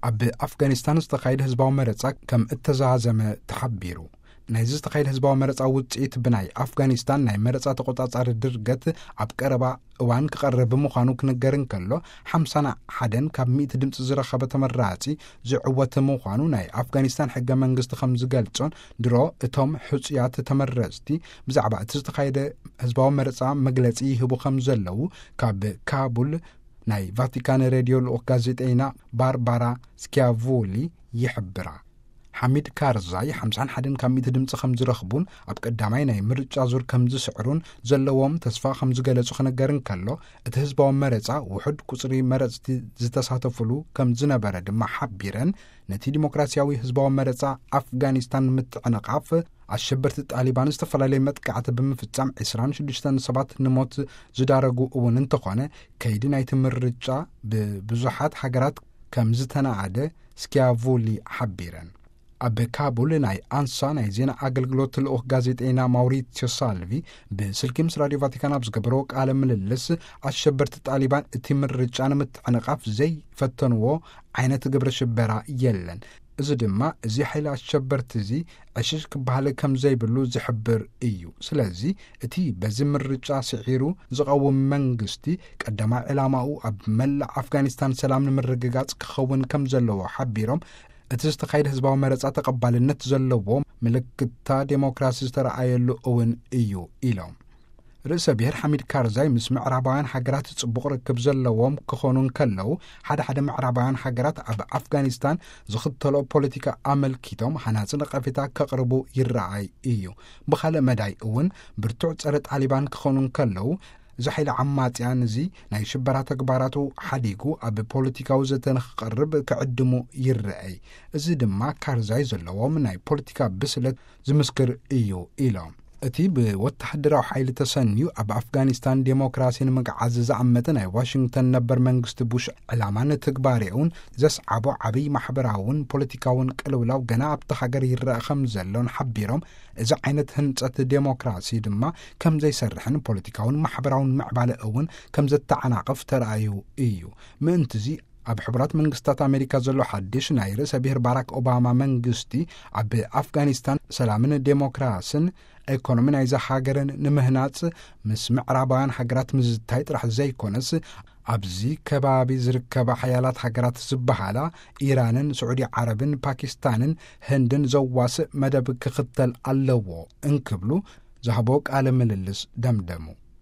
ኣብ ኣፍጋኒስታን ዝተኻየደ ህዝባዊ መረጻ ከም እተዛዘመ ተሓቢሩ። ናይዚ ዝተኻየደ ህዝባዊ መረጻ ውጽኢት ብናይ ኣፍጋኒስታን ናይ መረጻ ተቖጻጻሪ ድርገት ኣብ ቀረባ እዋን ክቐርብ ምዃኑ ክንገር እንከሎ፣ ሓምሳን ሓደን ካብ ሚእቲ ድምፂ ዝረኸበ ተመራጺ ዝዕወት ምዃኑ ናይ ኣፍጋኒስታን ሕገ መንግስቲ ከም ዝገልጾን፣ ድሮ እቶም ሕጹያት ተመረጽቲ ብዛዕባ እቲ ዝተኻየደ ህዝባዊ መረጻ መግለጺ ይህቡ ከም ዘለዉ ካብ ካቡል ናይ ቫቲካን ሬድዮ ልኡኽ ጋዜጠይና ባርባራ ስኪያቮሊ ይሕብራ። ሓሚድ ካርዛይ ሓምሳን ሓደን ካብ ሚእቲ ድምፂ ከም ዝረኽቡን ኣብ ቀዳማይ ናይ ምርጫ ዙር ከም ዝስዕሩን ዘለዎም ተስፋ ከም ዝገለጹ ክነገር እንከሎ፣ እቲ ህዝባዊ መረጻ ውሑድ ቁጽሪ መረጽቲ ዝተሳተፉሉ ከም ዝነበረ ድማ ሓቢረን፣ ነቲ ዲሞክራሲያዊ ህዝባዊ መረጻ ኣፍጋኒስታን ምትዕንቓፍ፣ ኣሸበርቲ ጣሊባን ዝተፈላለየ መጥቃዕቲ ብምፍጻም ዕስራን ሽዱሽተን ሰባት ንሞት ዝዳረጉ እውን እንተኾነ፣ ከይዲ ናይቲ ምርጫ ብብዙሓት ሃገራት ከም ዝተናኣደ ስኪያቮሊ ሓቢረን። ኣብ ካቡል ናይ ኣንሳ ናይ ዜና ኣገልግሎት ልኡኽ ጋዜጠይና ማውሪትዮ ሳልቪ ብስልኪ ምስ ራድዮ ቫቲካን ኣብ ዝገበረዎ ቃለ ምልልስ፣ ኣሸበርቲ ጣሊባን እቲ ምርጫ ንምትዕንቓፍ ዘይፈተንዎ ዓይነት ግብረ ሽበራ የለን። እዚ ድማ እዚ ሓይሊ ኣሸበርቲ እዚ ዕሽሽ ክበሃል ከም ዘይብሉ ዝሕብር እዩ። ስለዚ እቲ በዚ ምርጫ ስዒሩ ዝቐውም መንግስቲ ቀዳማይ ዕላማኡ ኣብ መላእ ኣፍጋኒስታን ሰላም ንምርግጋጽ ክኸውን ከም ዘለዎ ሓቢሮም፣ እቲ ዝተኻየደ ህዝባዊ መረጻ ተቐባልነት ዘለዎ ምልክታ ዴሞክራሲ ዝተረኣየሉ እውን እዩ ኢሎም። ርእሰ ብሔር ሓሚድ ካርዛይ ምስ ምዕራባውያን ሃገራት ጽቡቕ ርክብ ዘለዎም ክኾኑ እንከለዉ፣ ሓደ ሓደ ምዕራባውያን ሃገራት ኣብ ኣፍጋኒስታን ዝኽተሎ ፖለቲካ ኣመልኪቶም ሃናጺ ነቐፌታ ከቕርቡ ይረኣይ እዩ። ብኻልእ መዳይ እውን ብርቱዕ ጸረ ጣሊባን ክኾኑ እንከለዉ፣ እዚ ሓይሊ ዓማጽያን እዚ ናይ ሽበራ ተግባራቱ ሓዲጉ ኣብ ፖለቲካዊ ዘተ ንክቐርብ ክዕድሙ ይረኣይ። እዚ ድማ ካርዛይ ዘለዎም ናይ ፖለቲካ ብስለት ዝምስክር እዩ ኢሎም። እቲ ብወተሃደራዊ ሓይሊ ተሰንዩ ኣብ ኣፍጋኒስታን ዴሞክራሲ ንምግዓዝ ዝኣመተ ናይ ዋሽንግተን ነበር መንግስቲ ቡሽ ዕላማን ትግባሬኡን ዘስዓቦ ዓብይ ማሕበራውን ፖለቲካውን ቅልውላው ገና ኣብቲ ሃገር ይረአ ከም ዘሎን ሓቢሮም፣ እዚ ዓይነት ህንጸት ዴሞክራሲ ድማ ከም ዘይሰርሕን ፖለቲካውን ማሕበራውን ምዕባለ እውን ከም ዘተዓናቕፍ ተራእዩ እዩ። ምእንትዚ ኣብ ሕቡራት መንግስታት ኣሜሪካ ዘሎ ሓድሽ ናይ ርእሰ ብሔር ባራክ ኦባማ መንግስቲ ኣብ ኣፍጋኒስታን ሰላምን ዴሞክራስን ኢኮኖሚ ናይዛ ሃገርን ንምህናጽ ምስ ምዕራባውያን ሃገራት ምዝታይ ጥራሕ ዘይኮነስ፣ ኣብዚ ከባቢ ዝርከባ ሓያላት ሃገራት ዝበሃላ ኢራንን ስዑዲ ዓረብን ፓኪስታንን ህንድን ዘዋስእ መደብ ክኽተል ኣለዎ እንክብሉ ዝሃቦ ቃለ ምልልስ ደምደሙ።